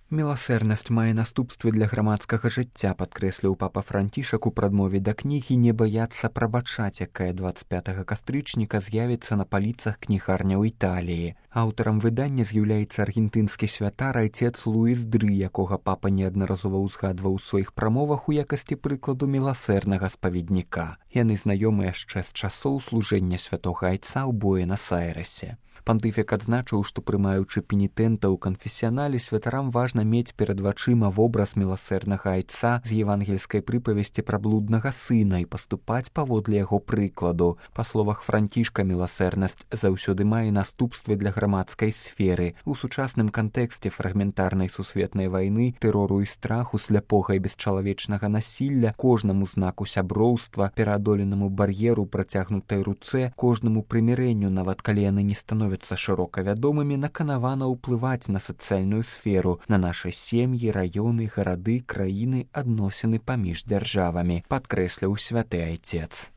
Міласэрнасць мае наступствы для грамадскага жыцця, падкрэсліў папа Францішак у прадмове да кнігі «Не баяцца прабачаць», якая 25 кастрычніка з'явіцца на паліцах кнігарняў Італіі. Аўтарам выдання з'яўляецца аргентынскі святар айцец Луіс Дры, якога папа неаднаразова ўзгадваў у сваіх прамовах у якасці прыкладу міласэрнага спаведніка. Яны знаёмы яшчэ з часоў служэння святога айца ў Буэнас-Айрэсе. Пантыфік адзначыў, што прымаючы пенітэнта ў канфесіянале, святарам важна мець перад вачыма вобраз міласэрнага айца з евангельскай прыпавесці пра блуднага сына і паступаць паводле яго прыкладу. Па словах Францішка, міласэрнасць заўсёды мае наступствы для грамадскай сферы. У сучасным кантэксце фрагментарнай сусветнай вайны, тэрору і страху, сляпога і бесчалавечнага насілля, кожнаму знаку сяброўства, пераадоленаму бар'еру працягнутай руцэ, кожнаму прымірэнню, нават калі яны не становяцца шырока вядомымі, наканавана ўплываць на сацыяльную сферу, на нашы сем'і, раёны, гарады, краіны, адносіны паміж дзяржавамі, падкрэсліў святы айцец.